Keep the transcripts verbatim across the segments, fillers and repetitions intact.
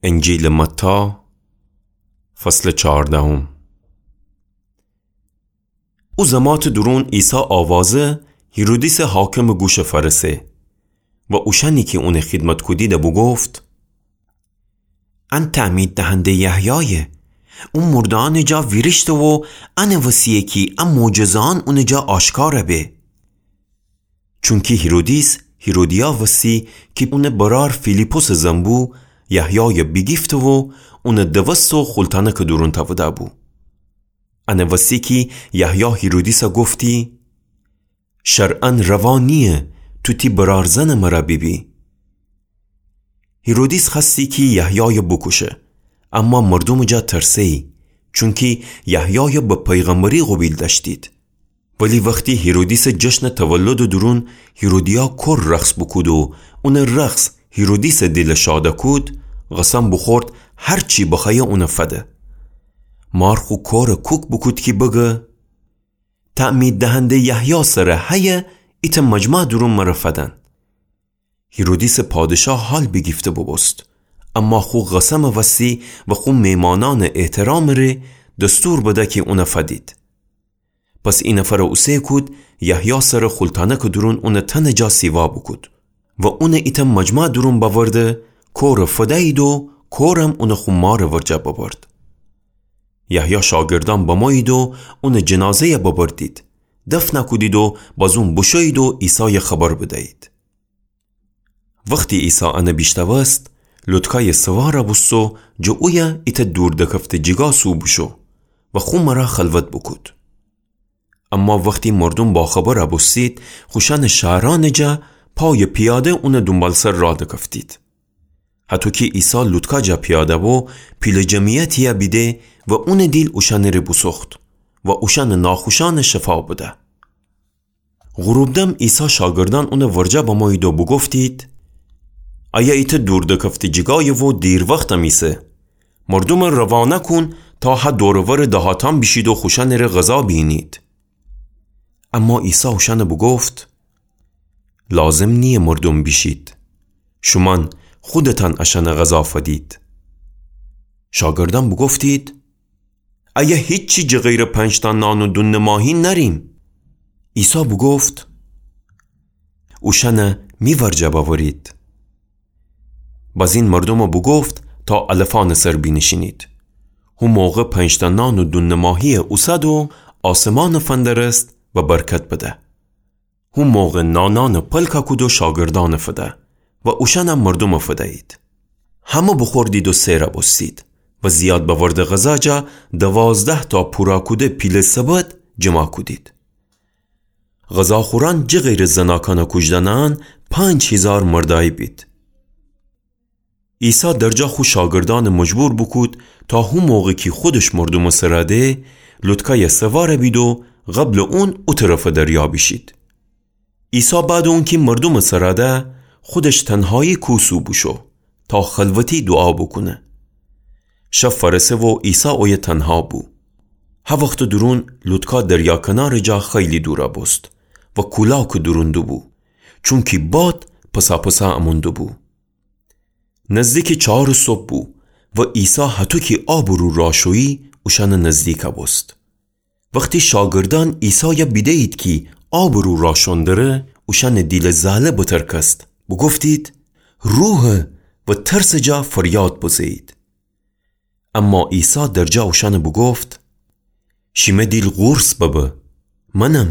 انجیلٚ متی، فصلٚ چهاردهم. او زماتٚ دورون عیسی آوازه هیرودیسٚ حاکمٚ گوشه فأرسه و اوشأنی کی اونٚ خیدمت کودیده بوگفت: ان تعمید دهنده‌یٚ یحیایه، او مرده‌یأنٚ جا ویریشته و انٚ وسیه کی ا معجزه‌یأن اونٚ جا آشکار به. چونکی هیرودیس هیرودیا وسی کی اونٚ برأر فیلیپسٚ زن بو، یحیای بیگیفته و اون دوسته و خول تأنکٚ دورون تأوده‌بو. انٚ وسی کی یحیا هیرودیس گفتی: شرعاً روا نییه تو تی برأرزنٚ مرا بیبی. هیرودیس خوأستی کی یحیای بوکوشه، اما مردومٚ جا ترسه‌یی، چونکی یحیای به پیغمبری قوبیل دأشتید. ولی وختی هیرودیسٚ جشنٚ تولدٚ دورون هیرودیا کور رقص بوکود و اونٚ رقص هیرودیسٚ دیل شاد کود، قسم بوخورد هر چی بخوأیه اون فده. مار خو کور کوک بوکود کی بگه: تعمید دهنده‌یٚ یحیا سر هیه ایتأ مجمع دورون مر فدن. هیرودیسٚ پادشاه حال بیگیفته بوبوست، اما خو قسمٚ وسی و خو میمانأنٚ احترامٚ ره دستور بده کی اون فدید. پس ای نفر اوسه کود یحیا سر خول تأنکٚ دورون اون تنٚ جا سیوا بوکود و اون ایتأ مجمع دورون بأورده، کور فدیید و کورم اون خو مارٚ ورجه ببرد. یحیا شاگردأن بمویید و اونٚ جنازه‌ی ببردید، دفن کودید و بازون بوشویید و عیسای خبر بدیید. وختی عیسی ان بیشنوست، لوطکای سوار بوست و جٚه اویه ایتأ دور دکفته جیگا سو بوشو و خو مر خلوت بوکود. اما وختی مردوم باخبر بوستید، خوشأنٚ شهرأنٚ جا پای پیاده اونٚ دونبالسر راه دکفتید. هطو کی عیسی لوطکا جا پیاده بو، پیله جمعیتی بیده و اونٚ دیل اوشأنٚ ره بوسوخت و اوشأنٚ ناخوشأن شفا بده. غروب دم عیسی شاگردأن اونٚ ورجه بمویید و بوگفتید: ایه ایتأ دور دکفته جیگایه و دیر وختم ایسه. مردوم روانه کون تا هه دور و ورٚ دهاتأن بیشید و خوشأنٚ ره غذا بینید. اما عیسی اوشأن بوگفت: لازم نییه مردوم بیشید. شومأن خودتأن اشأن غذا فدید. شاگردأن بوگفتید: ایه هیچی جٚه غیرٚ پنج‌تأ نان و دونٚ ماهی نأریم. عیسی بوگفت: اوشأن می ورجه بأورید. بازین مردوم بوگفت تا علفأنٚ سر بینیشینید. هو موقع پنج‌تأ نان و دونٚ ماهی اوسد و آسمان فندرست و برکت بده. هو موقع نانأن پلک کود و شاگردأن فده و اوشأن مردوم فدیید. همه بوخوردید و سیر بوستید و زیاد بأوردٚ غذا جا دوازده‌تأ پورا کوده پیله سبد جمع کودید. غذاخورأن جٚه غیرٚ زناکأن کوجدنأن پنج هیزار مردأیی بید. عیسی درجا خو شاگردأن مجبور بوکود تا هو موقع کی خودش مردومٚ سر ده، لوطکای سوار بید و قبلٚ اون او طرفٚ دریا بیشید. عیسی بعدٚ اونکی مردومٚ سر ده، خودش تنهایی کو سو بوشو تا خلوتی دوعا بوکونه. شب فأرسه و عیسی اویه تنها بو. هه وختٚ دورون لوطکا دریا کنارٚ جا خیلی دور بوست و کولاکٚ دورون دوبو، چونکی باد پساپسا امون دوبو. نزدیکٚ چارٚ صبح بو و عیسی هطو کی آبٚ رو راه شویی اوشأنٚ نزدیک بوست. وختی شاگردأن عیسای بیده‌یید کی آبٚ رو راه شون دره، اوشأنٚ دیلٚ زله بترکست، بوگفتید: روحه، و ترسٚ جا فریاد بزه‌یید. اما عیسی درجا اوشأن بوگفت: شیمه دیل قورص ببه، منم،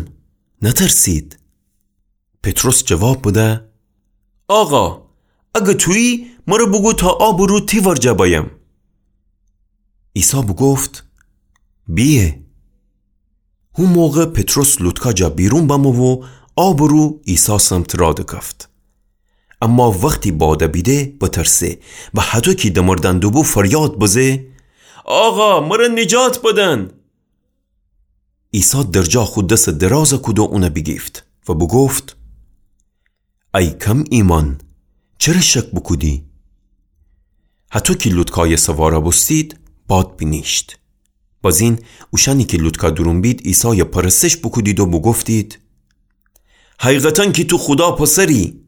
نترسید. پطرس جواب بده: آقا، اگر تویی، مر بوگو تا آبٚ رو تی ورجه بأیم. عیسی بوگفت: بیه. هو موقع پطرس لوطکا جا بیرون بمو و آبٚ رو عیسی سمت راه دکفت. اما وختی باد بیده بترسه و هطو کی دمردن دوبو فریاد بزه: آقا، مر نجات بدن! عیسی درجا خو دس دراز کود و اون بیگیفت و بوگفت: ای کم ایمأن، چره شک بوکودی؟ هطو کی لوطکای سوار بوستید، باد بینیشت. بازین اوشأنی کی لوطکا دورون بید، عیسای پرستش بوکودید و بوگفتید: حقیقتاً کی تو خودا پسری.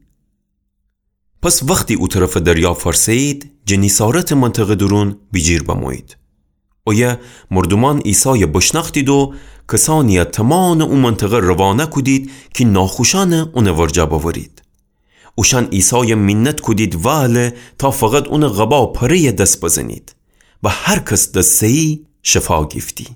پس وختی او طرفٚ دریا فأرسه‌یید، جنیسارتٚ منطقه دورون بیجیر بمویید. اویه مردومأن عیسایَ بشنأختید و کسأنی‌یَ تومانٚ او منطقه روانه کودید کی ناخوشأنَ اونٚ ورجه بأورید. اوشأن عیسایَ مینت کودید وأله تا فقط اونٚ قبا پره‌یَ دس بزنید و هر کس دس زه‌یی شفا گیفتی.